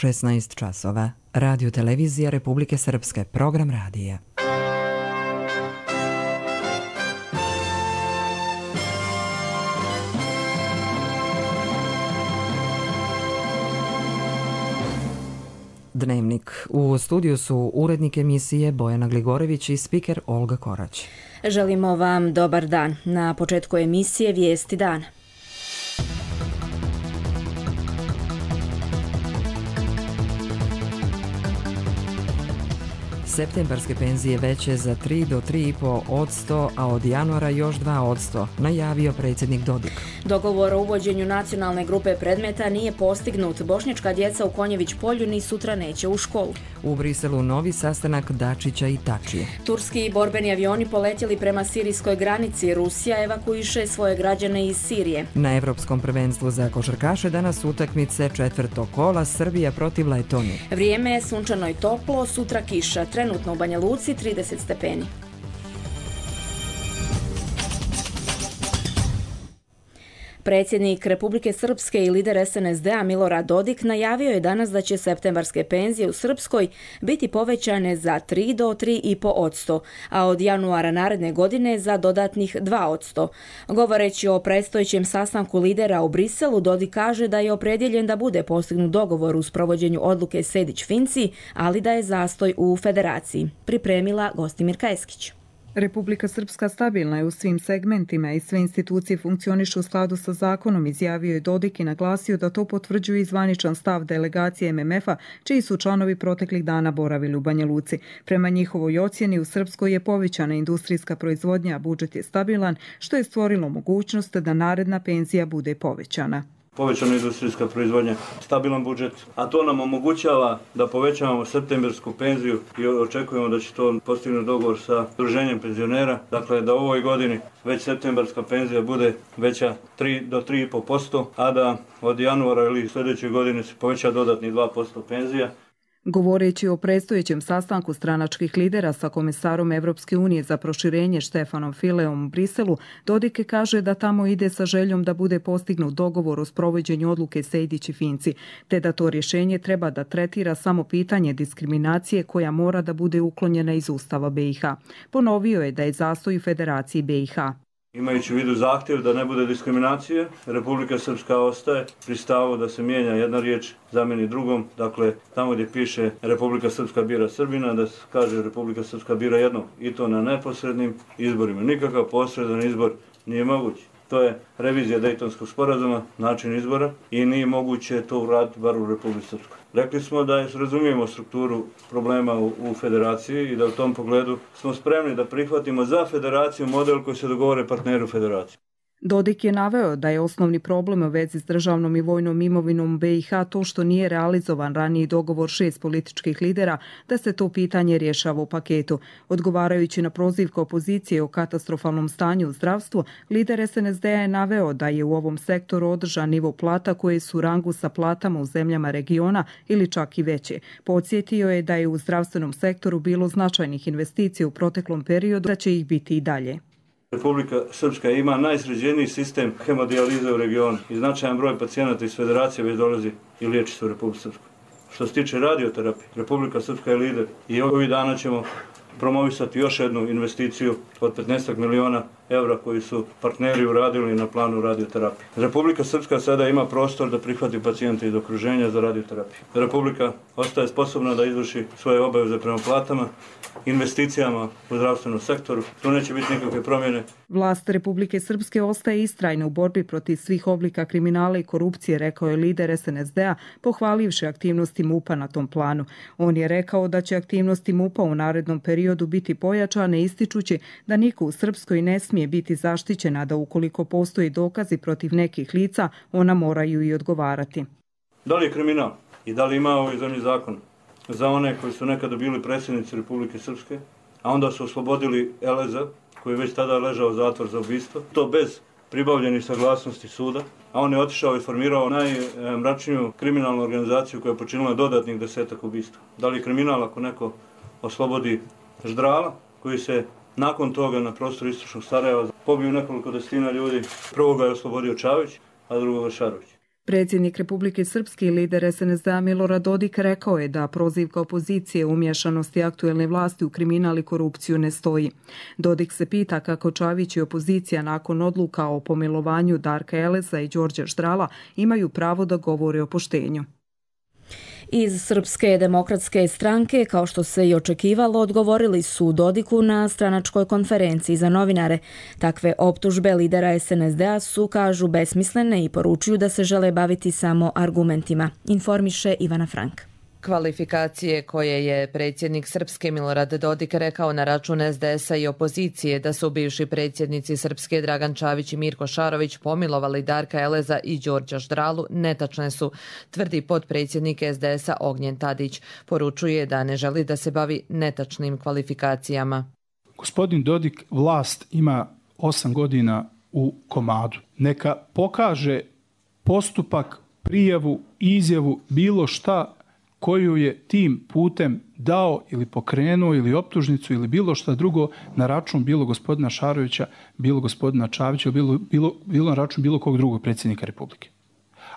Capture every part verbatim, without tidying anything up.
šesnaest časova. Radio televizija Republike Srpske, program radija. Dnevnik. U studiju su urednik emisije Bojana Gligorević i spiker Olga Korać. Želimo vam dobar dan. Na početku emisije Vijesti dana. Septembarske penzije veće za tri do tri i po odsto, a od januara još dva odsto, najavio predsjednik Dodik. Dogovor o uvođenju nacionalne grupe predmeta nije postignut. Bošnjačka djeca u Konjević polju ni sutra neće u školu. U Briselu novi sastanak Dačića i Tačije. Turski borbeni avioni poletjeli prema sirijskoj granici. Rusija evakuiše svoje građane iz Sirije. Na Evropskom prvenstvu za košarkaše danas utakmice četvrtog kola Srbija protiv Letonije. Vrijeme je sunčano i toplo, sutra kiša. Trenutno u Banja Luci trideset stepeni. Predsjednik Republike Srpske i lider es en es de a Milorad Dodik najavio je danas da će septembarske penzije u Srpskoj biti povećane za tri do tri i po odsto, a od januara naredne godine za dodatnih dva odsto. Govoreći o predstojećem sastanku lidera u Briselu, Dodik kaže da je opredjeljen da bude postignut dogovor u sprovođenju odluke Sejdić-Finci, ali da je zastoj u federaciji. Pripremila Gostimirka Eskić. Republika Srpska stabilna je u svim segmentima i sve institucije funkcionišu u skladu sa zakonom, izjavio je Dodik i naglasio da to potvrđuje i zvaničan stav delegacije em em efa, čiji su članovi proteklih dana boravili u Banja Luci. Prema njihovoj ocjeni u Srpskoj je povećana industrijska proizvodnja, a budžet je stabilan, što je stvorilo mogućnost da naredna penzija bude povećana. Povećana industrijska proizvodnja, stabilan budžet, a to nam omogućava da povećavamo septembarsku penziju i očekujemo da će to postignuti dogovor sa udruženjem penzionera. Dakle, da u ovoj godini već septembarska penzija bude veća tri do tri i po posto, a da od januara ili sljedeće godine se poveća dodatni dva posto penzija. Govoreći o predstojećem sastanku stranačkih lidera sa komisarom Evropske unije za proširenje Štefanom Fileom u Briselu, Dodik kaže da tamo ide sa željom da bude postignut dogovor o sprovođenju odluke Sejdić i Finci, te da to rješenje treba da tretira samo pitanje diskriminacije koja mora da bude uklonjena iz Ustava be i ha. Ponovio je da je zastoj u Federaciji be i ha. Imajući u vidu zahtjev da ne bude diskriminacije, Republika Srpska ostaje pri stavu da se mijenja jedna riječ zamijeni drugom. Dakle, tamo gdje piše Republika Srpska bira Srbina, da se kaže Republika Srpska bira jednog, i to na neposrednim izborima. Nikakav posredan izbor nije moguć. To je revizija Dejtonskog sporazuma, način izbora, i nije moguće to uraditi bar u Republici Srpskoj. Rekli smo da razumijemo strukturu problema u, u federaciji i da u tom pogledu smo spremni da prihvatimo za federaciju model koji se dogovore partneri u federaciji. Dodik je naveo da je osnovni problem u vezi s državnom i vojnom imovinom be i ha to što nije realizovan raniji dogovor šest političkih lidera da se to pitanje rješava u paketu. Odgovarajući na prozivku opozicije o katastrofalnom stanju u zdravstvu, lider es en es de a je naveo da je u ovom sektoru održan nivo plata koje su u rangu sa platama u zemljama regiona ili čak i veće. Podsjetio je da je u zdravstvenom sektoru bilo značajnih investicija u proteklom periodu, da će ih biti i dalje. Republika Srpska ima najsređeniji sistem hemodijalize u regionu i značajan broj pacijenata iz federacije već dolazi i liječi se u Republici Srpskoj. Što se tiče radioterapije, Republika Srpska je lider i ovih dana ćemo promovisati još jednu investiciju od petnaest miliona evra koji su partneri uradili na planu radioterapije. Republika Srpska sada ima prostor da prihvati pacijente iz okruženja za radioterapiju. Republika ostaje sposobna da izvrši svoje obaveze prema platama, investicijama u zdravstvenom sektoru. Tu neće biti nikakve promjene. Vlast Republike Srpske ostaje istrajna u borbi protiv svih oblika kriminala i korupcije, rekao je lider es en es de a, pohvalivši aktivnosti mupa na tom planu. On je rekao da će aktivnosti mupa u narednom periodu biti pojačane, ističući da niko u Srpskoj ne smije biti zaštićena, da ukoliko postoji dokazi protiv nekih lica, ona moraju i odgovarati. Da li je kriminal i da li ima ovoj zemlji zakon za one koji su nekada bili predsjednici Republike Srpske, a onda su oslobodili Eleza, koji je već tada ležao zatvor za ubistvo, to bez pribavljenih saglasnosti suda, a on je otišao i formirao najmračniju kriminalnu organizaciju koja je počinila dodatnih desetak ubistva. Da li je kriminal ako neko oslobodi Ždrala, koji se nakon toga na prostoru istočnog Sarajeva pobio nekoliko desetina ljudi. Prvoga je oslobodio Čavić, a drugoga Šarović. Predsjednik Republike Srpske i lider es en es de a Milorad Dodik rekao je da prozivka opozicije umješanosti aktuelne vlasti u kriminal i korupciju ne stoji. Dodik se pita kako Čavić i opozicija nakon odluka o pomilovanju Darka Eleza i Đorđa Štrala imaju pravo da govore o poštenju. Iz Srpske demokratske stranke, kao što se i očekivalo, odgovorili su Dodiku na stranačkoj konferenciji za novinare. Takve optužbe lidera es en es de a su, kažu, besmislene i poručuju da se žele baviti samo argumentima, informiše Ivana Frank. Kvalifikacije koje je predsjednik Srpske Milorad Dodik rekao na račun es de es a i opozicije da su bivši predsjednici Srpske Dragan Čavić i Mirko Šarović pomilovali Darka Eleza i Đorđa Štralu netačne su, tvrdi potpredsjednik es de es a Ognjen Tadić. Poručuje da ne želi da se bavi netačnim kvalifikacijama. Gospodin Dodik vlast ima osam godina u komadu. Neka pokaže postupak, prijavu, izjavu, bilo šta koju je tim putem dao ili pokrenuo ili optužnicu ili bilo šta drugo na račun bilo gospodina Šarovića, bilo gospodina Čavića, bilo, bilo, bilo na račun bilo kog drugog predsjednika Republike.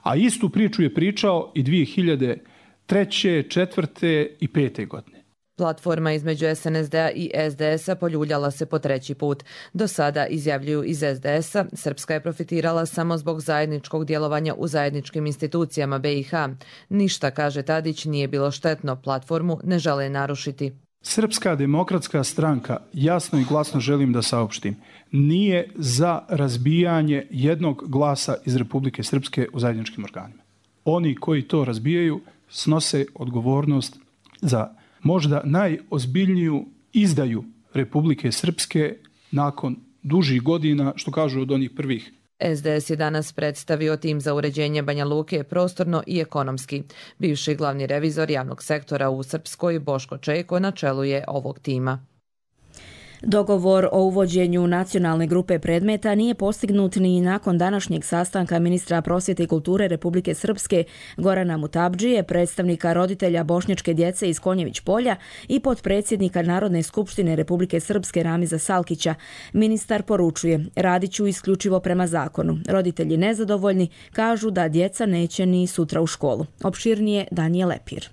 A istu priču je pričao i dvije hiljade treće, četvrte i pete godine. Platforma između es en es de a i es de es a poljuljala se po treći put. Do sada, izjavljuju iz es de es a, Srpska je profitirala samo zbog zajedničkog djelovanja u zajedničkim institucijama be i ha. Ništa, kaže Tadić, nije bilo štetno, platformu ne žele narušiti. Srpska demokratska stranka, jasno i glasno želim da saopštim, nije za razbijanje jednog glasa iz Republike Srpske u zajedničkim organima. Oni koji to razbijaju snose odgovornost za možda najozbiljniju izdaju Republike Srpske nakon dužih godina, što kažu od onih prvih. es de es je danas predstavio tim za uređenje Banja Luke prostorno i ekonomski. Bivši glavni revizor javnog sektora u Srpskoj, Boško Čeko, na čelu je ovog tima. Dogovor o uvođenju nacionalne grupe predmeta nije postignut ni nakon današnjeg sastanka ministra prosvjete i kulture Republike Srpske Gorana Mutabdžije, predstavnika roditelja bošnjačke djece iz Konjević polja i potpredsjednika Narodne skupštine Republike Srpske Ramiza Salkića. Ministar poručuje, radit ću isključivo prema zakonu. Roditelji nezadovoljni kažu da djeca neće ni sutra u školu. Opširnije Danijel Lepir.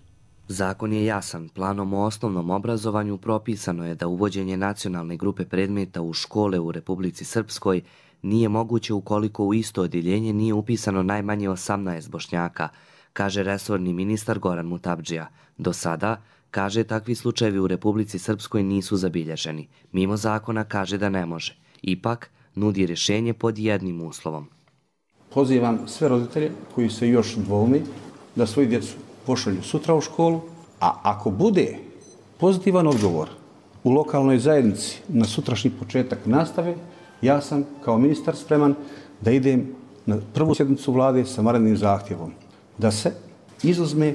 Zakon je jasan. Planom o osnovnom obrazovanju propisano je da uvođenje nacionalne grupe predmeta u škole u Republici Srpskoj nije moguće ukoliko u isto odjeljenje nije upisano najmanje osamnaest Bošnjaka, kaže resorni ministar Goran Mutabdžija. Do sada, kaže, takvi slučajevi u Republici Srpskoj nisu zabilježeni. Mimo zakona kaže da ne može. Ipak, nudi rješenje pod jednim uslovom. Pozivam sve roditelje koji se još dvoumi da svoju djecu pošalju sutra u školu, a ako bude pozitivan odgovor u lokalnoj zajednici na sutrašnji početak nastave, ja sam kao ministar spreman da idem na prvu sjednicu vlade sa vanrednim zahtjevom da se izuzme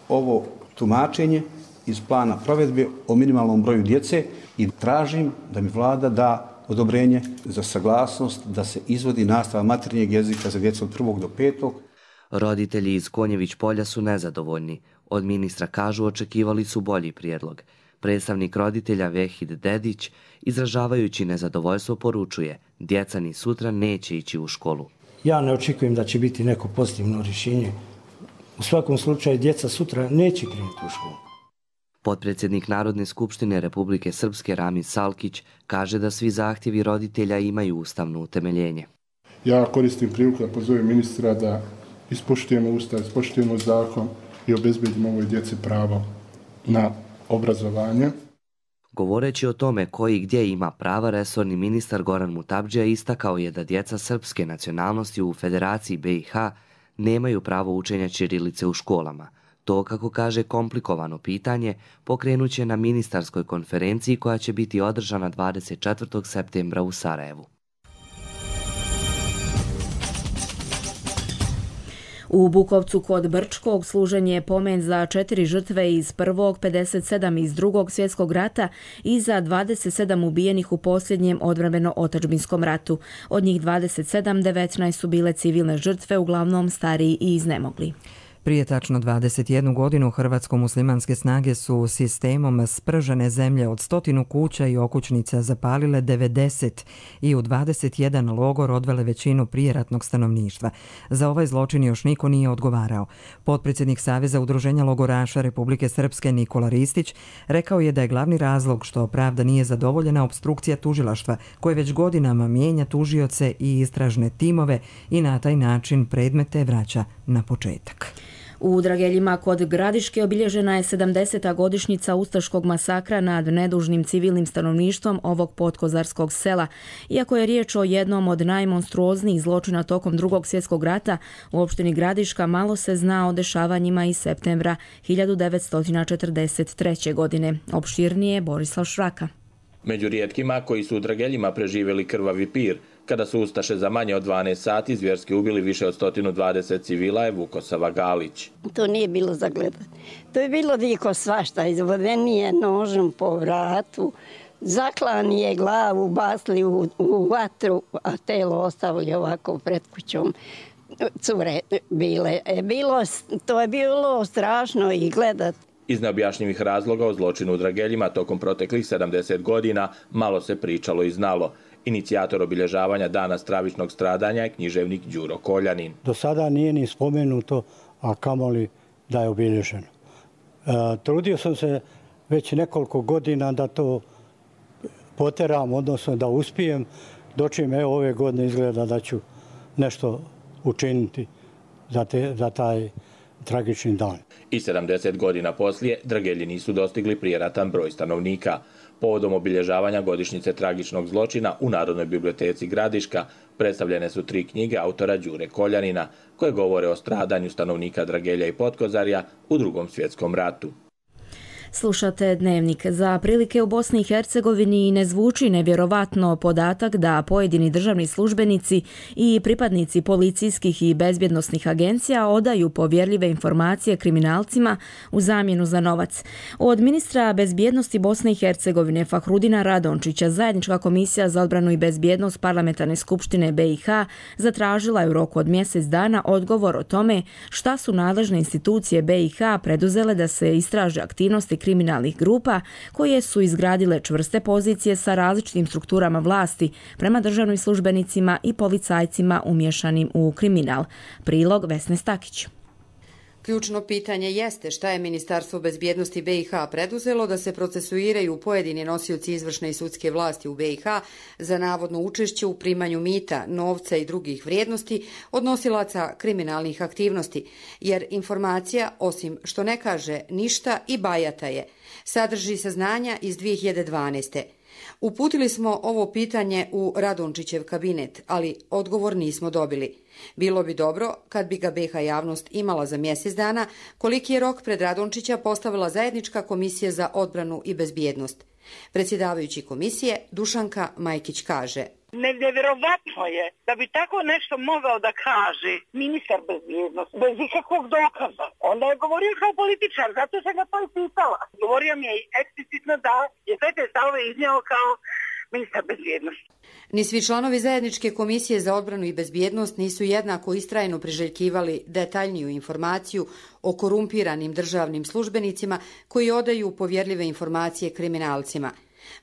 ovo tumačenje iz plana provedbe o minimalnom broju djece i tražim da mi vlada da odobrenje za saglasnost da se izvodi nastava materinjeg jezika za djecu od prvog do petog. Roditelji iz Konjević polja su nezadovoljni. Od ministra, kažu, očekivali su bolji prijedlog. Predstavnik roditelja Vehid Dedić, izražavajući nezadovoljstvo, poručuje, djeca ni sutra neće ići u školu. Ja ne očekujem da će biti neko pozitivno rješenje. U svakom slučaju djeca sutra neće krenuti u školu. Potpredsjednik Narodne skupštine Republike Srpske Ramiz Salkić kaže da svi zahtjevi roditelja imaju ustavno utemeljenje. Ja koristim priliku da pozovem ministra da ispoštujemo ustav, ispoštujemo zakon i obezbedimo ovoj djeci pravo na obrazovanje. Govoreći o tome koji gdje ima prava, resorni ministar Goran Mutabdžija istakao je da djeca srpske nacionalnosti u Federaciji be i ha nemaju pravo učenja ćirilice u školama. To, kako kaže, komplikovano pitanje pokrenuće na ministarskoj konferenciji koja će biti održana dvadeset četvrtog septembra u Sarajevu. U Bukovcu kod Brčkog služen je pomen za četiri žrtve iz prvog, pedeset sedam iz drugog svjetskog rata i za dvadeset sedam ubijenih u posljednjem odbrambeno-otadžbinskom ratu. Od njih dvadeset sedam, devetnaest su bile civilne žrtve, uglavnom stariji i iznemogli. Prije tačno dvadeset jednu godinu hrvatsko-muslimanske snage su sistemom spržene zemlje od stotinu kuća i okućnica zapalile devedeset i u dvadeset jedan logor odvele većinu prijeratnog stanovništva. Za ovaj zločin još niko nije odgovarao. Potpredsjednik Saveza udruženja logoraša Republike Srpske Nikola Ristić rekao je da je glavni razlog što pravda nije zadovoljena opstrukcija tužilaštva koje već godinama mijenja tužioce i istražne timove i na taj način predmete vraća na početak. U Drageljima kod Gradiške obilježena je sedamdeseta godišnjica ustaškog masakra nad nedužnim civilnim stanovništvom ovog podkozarskog sela. Iako je riječ o jednom od najmonstruoznijih zločina tokom Drugog svjetskog rata, u opštini Gradiška malo se zna o dešavanjima iz septembra hiljadu devetsto četrdeset treće. godine. Opširnije Borislav Šraka. Među rijetkima koji su u Drageljima preživjeli krvavi pir, kada su ustaše za manje od dvanaest sati zvjerski ubili više od sto dvadeset civila, je Vukosava Galić. To nije bilo za gledati. To je bilo diko svašta. Izvoden je nožom po vratu, zaklani je glavu, basli u, u vatru, a telo ostavili ovako pred kućom. Cure bile. E, bilo, to je bilo strašno i gledati. Iz neobjašnjivih razloga o zločinu u Drageljima tokom proteklih sedamdeset godina malo se pričalo i znalo. Inicijator obilježavanja dana stravičnog stradanja je književnik Đuro Koljanin. Do sada nije ni spomenuto, a kamoli da je obilježeno. E, trudio sam se već nekoliko godina da to poteram, odnosno da uspijem, dočim evo ove godine izgleda da ću nešto učiniti za, te, za taj tragični dan. I sedamdeset godina poslije Dragelji nisu dostigli prijeratan broj stanovnika. Povodom obilježavanja godišnjice tragičnog zločina u Narodnoj biblioteci Gradiška predstavljene su tri knjige autora Đure Koljanina koje govore o stradanju stanovnika Dragelja i Potkozarja u Drugom svjetskom ratu. Slušate Dnevnik. Za prilike u Bosni i Hercegovini ne zvuči nevjerovatno podatak da pojedini državni službenici i pripadnici policijskih i bezbjednosnih agencija odaju povjerljive informacije kriminalcima u zamjenu za novac. Od ministra bezbjednosti Bosne i Hercegovine Fahrudina Radončića zajednička komisija za odbranu i bezbjednost Parlamentarne skupštine B i H zatražila je u roku od mjesec dana odgovor o tome šta su nadležne institucije B i H preduzele da se istraže aktivnosti kriminalnih grupa koje su izgradile čvrste pozicije sa različitim strukturama vlasti prema državnim službenicima i policajcima umješanim u kriminal. Prilog Vesne Stakić. Ključno pitanje jeste šta je Ministarstvo bezbjednosti B i H preduzelo da se procesuiraju pojedini nosioci izvršne i sudske vlasti u B i H za navodno učešće u primanju mita, novca i drugih vrijednosti od nosilaca kriminalnih aktivnosti, jer informacija, osim što ne kaže ništa i bajata je, sadrži saznanja iz dvije hiljade dvanaeste. Uputili smo ovo pitanje u Radončićev kabinet, ali odgovor nismo dobili. Bilo bi dobro kad bi ga B i H javnost imala za mjesec dana, koliki je rok pred Radončića postavila zajednička komisija za odbranu i bezbjednost. Predsjedavajući komisije Dušanka Majkić kaže: Nevjerovatno je da bi tako nešto mogao da kaže ministar bezbjednosti bez ikakvog dokaza. Onda je govorio kao političar, zato sam ga to i pitala. Govorio mi je eksplicitno da je sve te stavove iznijeo kao ministar bezbjednosti. Ni svi članovi zajedničke komisije za odbranu i bezbjednost nisu jednako istrajno priželjkivali detaljniju informaciju o korumpiranim državnim službenicima koji odaju povjerljive informacije kriminalcima.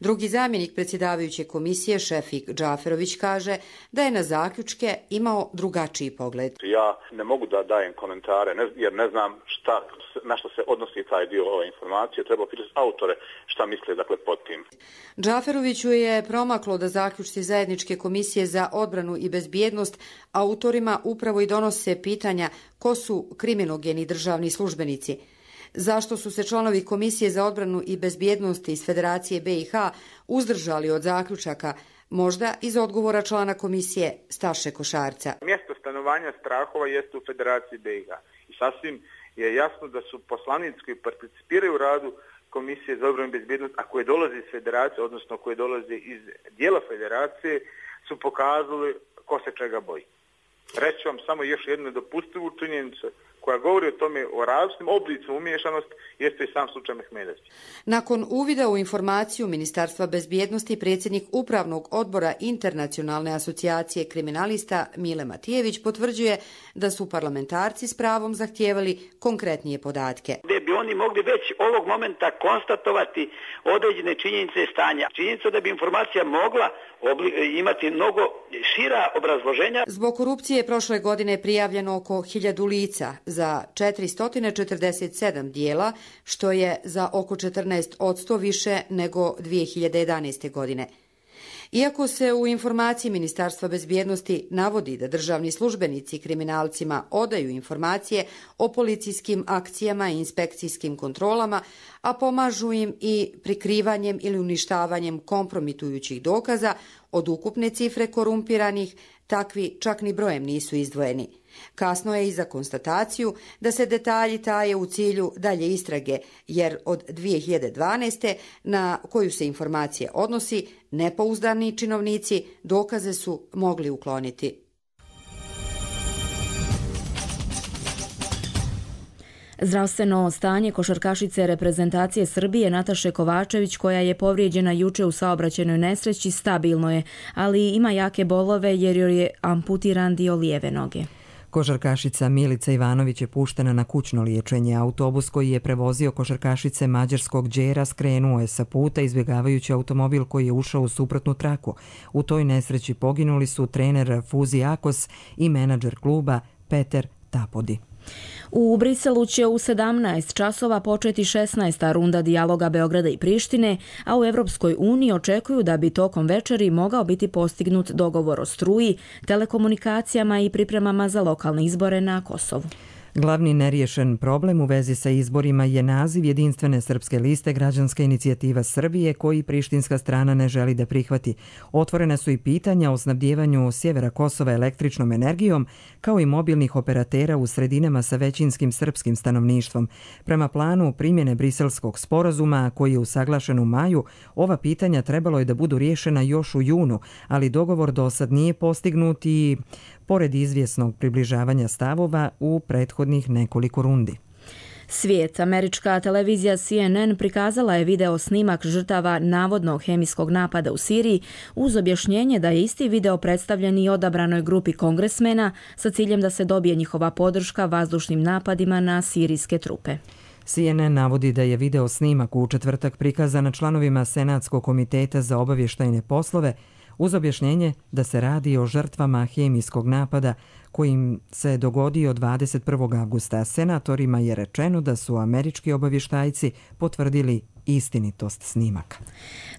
Drugi zamjenik predsjedavajuće komisije, Šefik Džaferović, kaže da je na zaključke imao drugačiji pogled. Ja ne mogu da dajem komentare jer ne znam šta, na što se odnosi taj dio ove informacije. Treba pitati autore šta misle dakle pod tim. Džaferoviću je promaklo da zaključci zajedničke komisije za odbranu i bezbjednost autorima upravo i donose pitanja ko su kriminogeni državni službenici. Zašto su se članovi Komisije za odbranu i bezbjednost iz Federacije B i H uzdržali od zaključaka, možda iz odgovora člana komisije Staše Košarca. Mjesto stanovanja strahova jeste u Federaciji B i H. I sasvim je jasno da su poslanici koji participiraju u radu Komisije za odbranu i bezbjednost, a koje dolaze iz Federacije, odnosno koje dolaze iz dijela Federacije, su pokazali ko se čega boji. Reći vam samo još jednu nedopustivu činjenicu koja govori o tome o različitim oblicima umiješanosti, jeste i sam slučaj Mehmedovski. Nakon uvida u informaciju Ministarstva bezbjednosti, predsjednik Upravnog odbora Internacionalne asocijacije kriminalista Mile Matijević potvrđuje da su parlamentarci s pravom zahtijevali konkretnije podatke. Gdje bi oni mogli već ovog momenta konstatovati određene činjenice stanja. Činjenica da bi informacija mogla imati mnogo šira obrazloženja. Zbog korupcije prošle godine prijavljeno oko hiljadu lica za četiristo četrdeset sedam dijela, što je za oko četrnaest posto više nego dvije hiljade jedanaeste. godine. Iako se u informaciji Ministarstva bezbjednosti navodi da državni službenici kriminalcima odaju informacije o policijskim akcijama i inspekcijskim kontrolama, a pomažu im i prikrivanjem ili uništavanjem kompromitujućih dokaza, od ukupne cifre korumpiranih takvi čak ni brojem nisu izdvojeni. Kasno je i za konstataciju da se detalji taje u cilju dalje istrage, jer od dvije hiljade dvanaeste. na koju se informacije odnosi, nepouzdani činovnici dokaze su mogli ukloniti. Zdravstveno stanje košarkašice reprezentacije Srbije Nataše Kovačević, koja je povrijeđena juče u saobraćajnoj nesreći, stabilno je, ali ima jake bolove jer joj je amputiran dio lijeve noge. Košarkašica Milica Ivanović je puštena na kućno liječenje. Autobus koji je prevozio košarkašice mađarskog Đera skrenuo je sa puta izbjegavajući automobil koji je ušao u suprotnu traku. U toj nesreći poginuli su trener Fuzi Akos i menadžer kluba Peter Tapodi. U Briselu će u sedamnaest časova početi šesnaesta runda dijaloga Beograda i Prištine, a u Evropskoj uniji očekuju da bi tokom večeri mogao biti postignut dogovor o struji, telekomunikacijama i pripremama za lokalne izbore na Kosovu. Glavni neriješen problem u vezi sa izborima je naziv Jedinstvene srpske liste Građanska inicijativa Srbije, koji prištinska strana ne želi da prihvati. Otvorene su i pitanja o snabdijevanju sjevera Kosova električnom energijom, kao i mobilnih operatera u sredinama sa većinskim srpskim stanovništvom. Prema planu primjene Briselskog sporazuma, koji je usaglašen u maju, ova pitanja trebalo je da budu riješena još u junu, ali dogovor do sad nije postignut i pored izvjesnog približavanja stavova u prethodnih nekoliko rundi. Svijet. Američka televizija C N N prikazala je video snimak žrtava navodnog hemijskog napada u Siriji uz objašnjenje da je isti video predstavljen i odabranoj grupi kongresmena sa ciljem da se dobije njihova podrška vazdušnim napadima na sirijske trupe. C N N navodi da je video snimak u četvrtak prikazan članovima Senatskog komiteta za obavještajne poslove uz objašnjenje da se radi o žrtvama hemijskog napada kojim se dogodio dvadeset prvog avgusta. Senatorima je rečeno da su američki obavještajci potvrdili istinitost snimaka.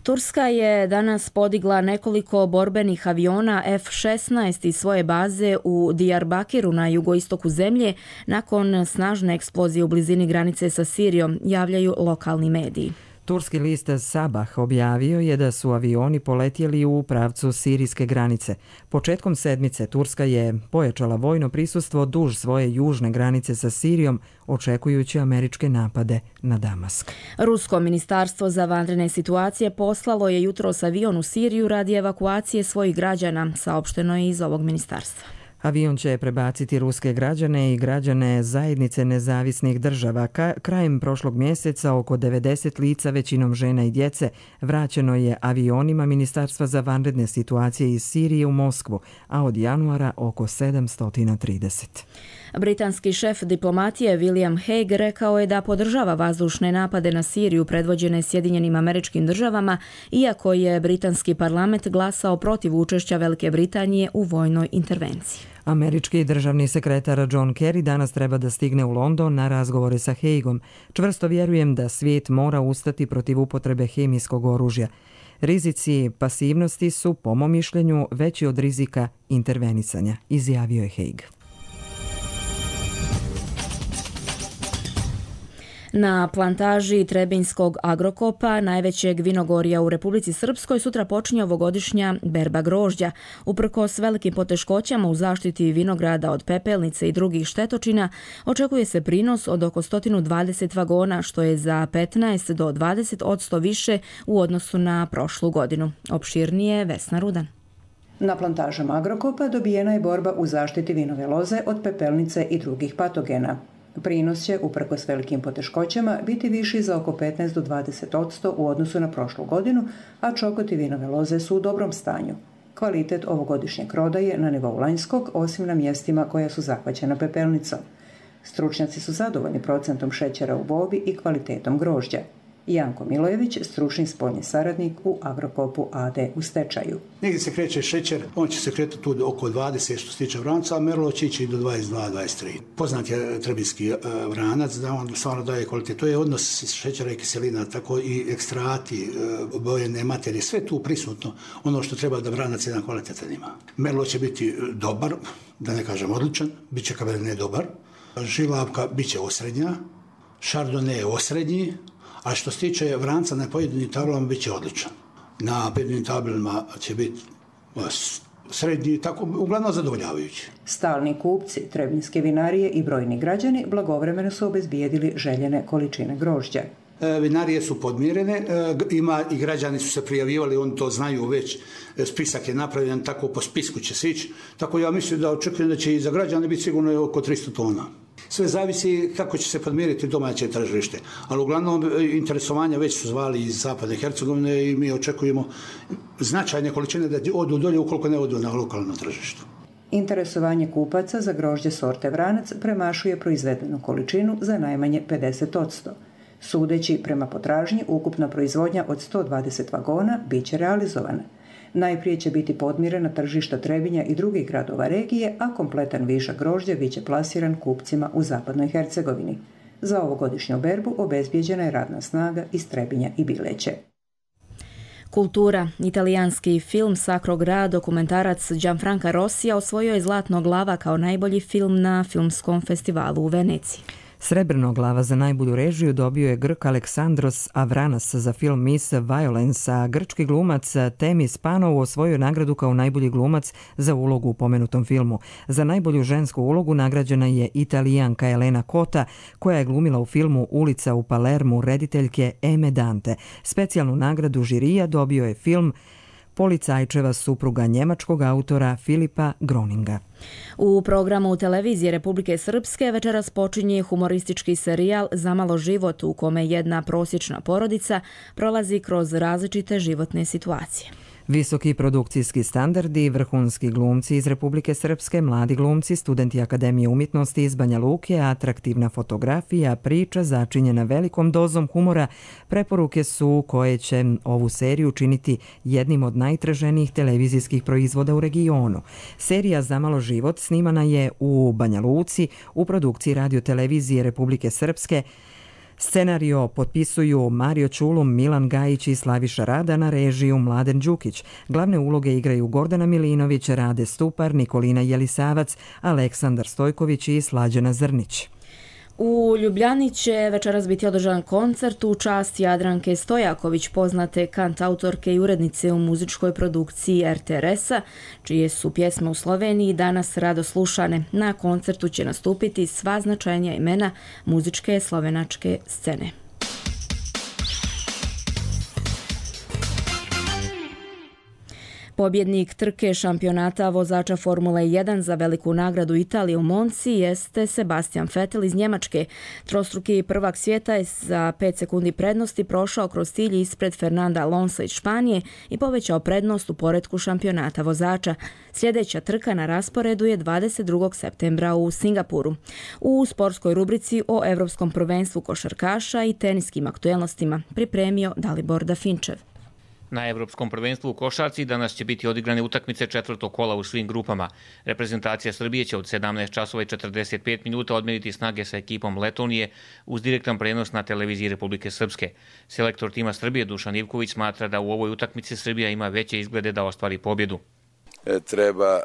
Turska je danas podigla nekoliko borbenih aviona F šesnaest iz svoje baze u Diyarbakiru na jugoistoku zemlje nakon snažne eksplozije u blizini granice sa Sirijom, javljaju lokalni mediji. Turski list Sabah objavio je da su avioni poletjeli u pravcu sirijske granice. Početkom sedmice Turska je pojačala vojno prisustvo duž svoje južne granice sa Sirijom, očekujući američke napade na Damask. Rusko ministarstvo za vanredne situacije poslalo je jutros avion u Siriju radi evakuacije svojih građana, saopšteno je iz ovog ministarstva. Avion će prebaciti ruske građane i građane zajednice nezavisnih država. Ka- krajem prošlog mjeseca oko devedeset lica, većinom žena i djece, vraćeno je avionima Ministarstva za vanredne situacije iz Sirije u Moskvu, a od januara oko sedamsto trideset. Britanski šef diplomatije William Hague rekao je da podržava vazdušne napade na Siriju predvođene Sjedinjenim Američkim Državama, iako je britanski parlament glasao protiv učešća Velike Britanije u vojnoj intervenciji. Američki državni sekretar John Kerry danas treba da stigne u London na razgovore sa Hagueom. Čvrsto vjerujem da svijet mora ustati protiv upotrebe hemijskog oružja. Rizici pasivnosti su, po mom mišljenju, veći od rizika intervenisanja, izjavio je Hague. Na plantaži Trebinjskog agrokopa, najvećeg vinogorja u Republici Srpskoj, sutra počinje ovogodišnja berba grožđa. Uprkos velikim poteškoćama u zaštiti vinograda od pepelnice i drugih štetočina, očekuje se prinos od oko sto dvadeset vagona, što je za petnaest do dvadeset posto više u odnosu na prošlu godinu. Opširnije Vesna Rudan. Na plantažama agrokopa dobijena je borba u zaštiti vinove loze od pepelnice i drugih patogena. Prinos će, uprkos velikim poteškoćama, biti viši za oko petnaest do dvadeset odsto u odnosu na prošlu godinu, a čokot i vinove loze su u dobrom stanju. Kvalitet ovogodišnjeg roda je na nivou lanjskog, osim na mjestima koja su zahvaćena pepelnicom. Stručnjaci su zadovoljni procentom šećera u bobi i kvalitetom grožđa. Janko Milojević, stručni spoljni saradnik u Agrokopu a de u stečaju. Negdje se kreće šećer, on će se kretati tu oko dvadeset što se tiče vranca, a merlo će ići do dvadeset dva do dvadeset tri. Poznat je trebinski vranac, da on stvarno daje kvalitet. To je odnos šećera i kiselina, tako i ekstrati, bojene materije, sve tu prisutno, ono što treba da vranac jedan kvalitetan ima. Merlo će biti dobar, da ne kažem odličan, bit će Cabernet dobar, žilavka bit će osrednja, Chardonnay osrednji, a što se tiče vranca na pojedinim tablama bit će odličan. Na pojedinim tablama će biti srednji, tako uglavnom zadovoljavajući. Stalni kupci, trebinjske vinarije i brojni građani blagovremeno su obezbijedili željene količine grožđa. E, vinarije su podmirene, e, ima i građani su se prijavivali, oni to znaju već, spisak je napravljen, tako po spisku će se ići. Tako ja mislim da očekujem da će i za građane biti sigurno oko tristo tona. Sve zavisi kako će se podmiriti domaće tržište, ali uglavnom interesovanja već su zvali iz Zapadne Hercegovine i mi očekujemo značajne količine da odu dolje ukoliko ne odu na lokalno tržište. Interesovanje kupaca za grožđe sorte vranac premašuje proizvedenu količinu za najmanje pedeset odsto. Sudeći prema potražnji, ukupna proizvodnja od sto dvadeset vagona bit će realizovana. Najprije će biti podmirena tržišta Trebinja i drugih gradova regije, a kompletan višak grožđa bit će plasiran kupcima u Zapadnoj Hercegovini. Za ovogodišnju berbu obezbijeđena je radna snaga iz Trebinja i Bileće. Kultura. Italijanski film Sacro Gra, dokumentarac Gianfranca Rossija osvojio je Zlatnog glava kao najbolji film na filmskom festivalu u Veneciji. Srebrno glava za najbolju režiju dobio je Grk Aleksandros Avranas za film Miss Violence, a grčki glumac Temis Panou osvojio nagradu kao najbolji glumac za ulogu u pomenutom filmu. Za najbolju žensku ulogu nagrađena je Italijanka Elena Cota, koja je glumila u filmu Ulica u Palermu rediteljke Eme Dante. Specijalnu nagradu žirija dobio je film Policajčeva supruga njemačkog autora Filipa Groninga. U programu televizije Republike Srpske večeras počinje humoristički serijal Zamalo život, u kome jedna prosječna porodica prolazi kroz različite životne situacije. Visoki produkcijski standardi, vrhunski glumci iz Republike Srpske, mladi glumci, studenti Akademije umjetnosti iz Banja Luke, atraktivna fotografija, priča začinjena velikom dozom humora, preporuke su koje će ovu seriju činiti jednim od najtraženijih televizijskih proizvoda u regionu. Serija Zamalo život snimana je u Banja Luci u produkciji radiotelevizije Republike Srpske. Scenario potpisuju Mario Čulum, Milan Gajić i Slaviša Rada, na režiju Mladen Đukić. Glavne uloge igraju Gordana Milinović, Rade Stupar, Nikolina Jelisavac, Aleksandar Stojković i Slađana Zrnić. U Ljubljani će večeras biti održan koncert u čast Jadranke Stojaković, poznate kantautorke i urednice u muzičkoj produkciji er te er es-a, čije su pjesme u Sloveniji danas rado slušane. Na koncertu će nastupiti sva značajnija imena muzičke slovenačke scene. Pobjednik trke šampionata vozača Formule jedan za veliku nagradu Italije u Monci jeste Sebastian Vettel iz Njemačke. Trostruki prvak svijeta je za pet sekundi prednosti prošao kroz cilj ispred Fernanda Alonsa iz Španije i povećao prednost u poretku šampionata vozača. Sljedeća trka na rasporedu je dvadeset drugog septembra u Singapuru. U sportskoj rubrici o Evropskom prvenstvu košarkaša i teniskim aktuelnostima pripremio Dalibor Dafinčev. Na Evropskom prvenstvu u košarci danas će biti odigrane utakmice četvrtog kola u svim grupama. Reprezentacija Srbije će od sedamnaest časova i četrdeset pet minuta odmeriti snage sa ekipom Letonije uz direktan prenos na televiziji Republike Srpske. Selektor tima Srbije Dušan Ivković smatra da u ovoj utakmici Srbija ima veće izglede da ostvari pobjedu. Treba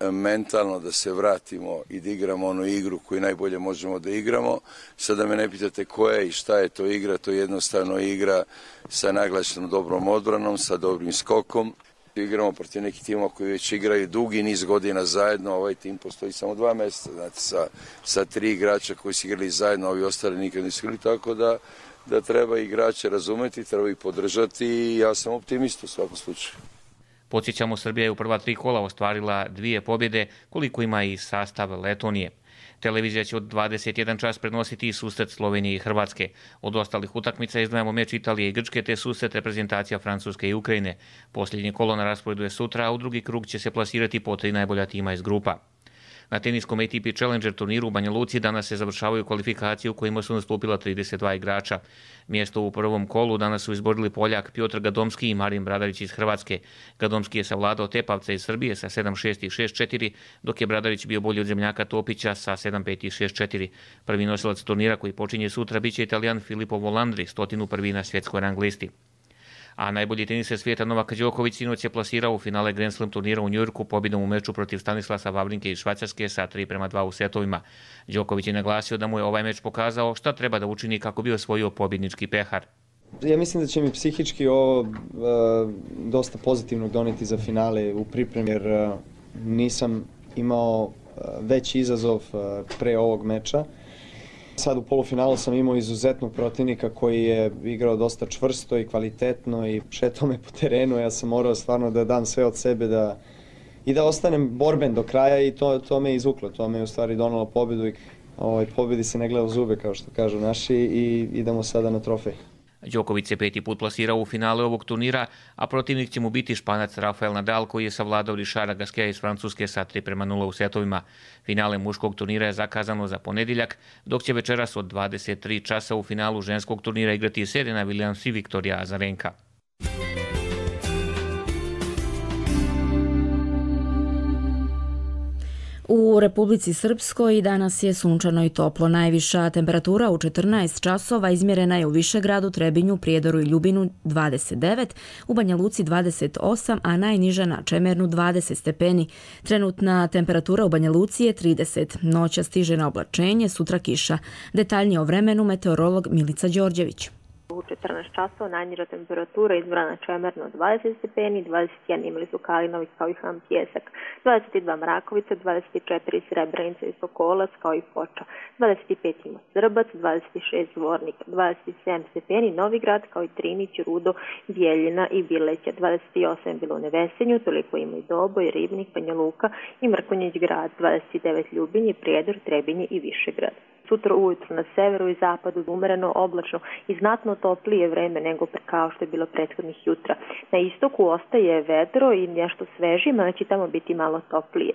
e, mentalno da se vratimo i da igramo onu igru koju najbolje možemo da igramo. Sada me ne pitate koja je i šta je to igra, to je jednostavno igra sa naglašenom dobrom odbranom, sa dobrim skokom. Igramo protiv nekih timova koji već igraju dugi niz godina zajedno, ovaj tim postoji samo dva mjeseca, znači sa, sa tri igrača koji su igrali zajedno, ovi ostali nikad nisu igrali, tako da, da treba igrače razumeti, treba ih podržati i ja sam optimist u svakom slučaju. Podsjećamo, Srbija je u prva tri kola ostvarila dvije pobjede, koliko ima i sastav Letonije. Televizija će od dvadeset jedan čas prenositi i susret Slovenije i Hrvatske. Od ostalih utakmica izdvajamo meč Italije i Grčke te susret reprezentacija Francuske i Ukrajine. Posljednje kolo na rasporedu je sutra, a u drugi krug će se plasirati po tri najbolja tima iz grupa. Na teniskom A T P Challenger turniru u Banja Luci danas se završavaju kvalifikacije u kojima su nastupila trideset dva igrača. Mjesto u prvom kolu danas su izborili Poljak Piotr Gadomski i Marin Bradarić iz Hrvatske. Gadomski je savladao Tepavca iz Srbije sa sedam šest i šest četiri, dok je Bradarić bio bolji od zemljaka Topića sa sedam pet i šest četiri. Prvi nosilac turnira koji počinje sutra biće Italijan Filippo Volandri, stotinu prvi na svjetskoj rang listi. A najbolji teniser svijeta Novak Đoković sinoć je plasirao u finale Grand Slam turnira u Njujorku pobjedom u meču protiv Stanislasa Wawrinke iz Švajcarske sa tri prema dva u setovima. Đoković je naglasio da mu je ovaj meč pokazao šta treba da učini kako bi osvojio pobjednički pehar. Ja mislim da će mi psihički ovo uh, dosta pozitivno doneti za finale u pripremi, jer uh, nisam imao uh, veći izazov uh, pre ovog meča. Sad u polufinalu sam imao izuzetnog protivnika koji je igrao dosta čvrsto i kvalitetno i šetao me po terenu. Ja sam morao stvarno da dam sve od sebe da, i da ostanem borben do kraja i to, to me je izvuklo. To me je u stvari donalo pobjedu i ovaj, pobjedi se ne gleda u zube, kao što kažu naši, i idemo sada na trofej. Đoković se peti put plasirao u finale ovog turnira, a protivnik će mu biti Španac Rafael Nadal koji je savladao Richarda Gasqueta iz Francuske sa tri prema nula u setovima. Finale muškog turnira je zakazano za ponedjeljak, dok će večeras od dvadeset tri časa u finalu ženskog turnira igrati Serena Williams i Viktorija Azarenka. U Republici Srpskoj danas je sunčano i toplo. Najviša temperatura u četrnaest časova izmjerena je u Višegradu, Trebinju, Prijedoru i Ljubinu dvadeset devet, u Banja Luci dvadeset osam, a najniža na Čemernu dvadeset stepeni. Trenutna temperatura u Banja Luci je trideset. Noća stiže na oblačenje, sutra kiša. Detaljnije o vremenu meteorolog Milica Đorđević. U četrnaest časova najniža temperatura izbrana na Čemerno dvadeset stepeni, dvadeset jedan imali su Kalinović kao i Ham Pjesak, dvadeset dva Mrakovica, dvadeset četiri Srebrenica i Sokolac kao i Foča, dvadeset pet ima Srbac, dvadeset šest Zvornik, dvadeset sedam stepeni Novigrad kao i Trinić, Rudo, Bijeljina i Bileća, dvadeset osam je bilo u Nevesenju, toliko ima i Doboj, Ribnik, Banja Luka i Mrkonjić grad, dvadeset devet Ljubinje, Prijedor, Trebinje i Višegrad. Sutra ujutru na severu i zapadu umereno, oblačno i znatno toplije vreme nego kao što je bilo prethodnih jutra. Na istoku ostaje vedro i nešto svežije, ma će tamo biti malo toplije.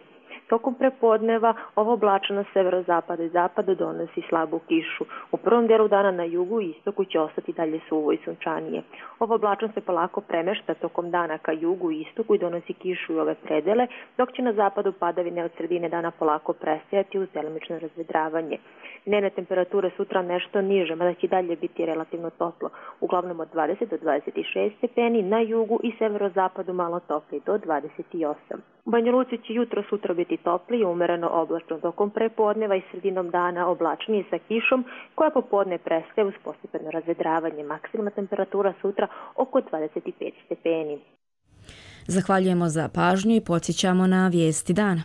Tokom prepodneva ovo oblačno na severozapadu i zapadu donosi slabu kišu. U prvom delu dana na jugu i istoku će ostati dalje suvo i sunčanije. Ovo oblačno se polako premešta tokom dana ka jugu i istoku i donosi kišu i ove predele, dok će na zapadu padavine od sredine dana polako prestajati uz delimično razvedravanje. Dnevne temperature sutra nešto niže, mada će dalje biti relativno toplo, uglavnom od dvadeset do dvadeset šest stepeni, na jugu i severozapadu malo toplije do dvadeset osam. U Banja Luci će jutro sutra biti toplije, umereno oblačno, tokom prepodneva i sredinom dana oblačnije sa kišom, koja popodne prestaje uz postepeno razvedravanje. Maksimalna temperatura sutra oko dvadeset pet stepeni. Zahvaljujemo za pažnju i podsjećamo na vijesti dana.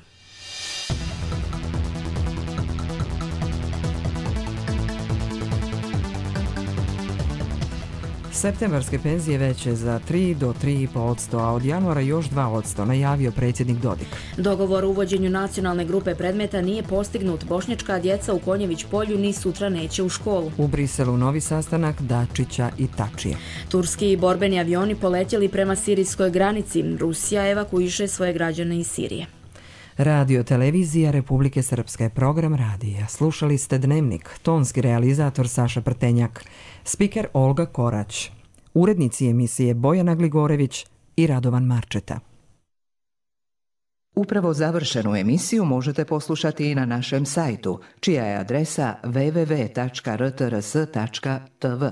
Septembarske penzije veće za tri do tri i po posto, a od januara još dva posto, najavio predsjednik Dodik. Dogovor o uvođenju nacionalne grupe predmeta nije postignut. Bošnjačka djeca u Konjević polju ni sutra neće u školu. U Briselu novi sastanak Dačića i Tačije. Turski borbeni avioni poletjeli prema sirijskoj granici. Rusija evakuiše svoje građane iz Sirije. Radio televizija Republike Srpske, program radija. Slušali ste Dnevnik, tonski realizator Saša Prtenjak, spiker Olga Korać, urednici emisije Bojana Gligorević i Radovan Marčeta. Upravo završenu emisiju možete poslušati i na našem sajtu, čija je adresa w w w tačka r t r s tačka t v.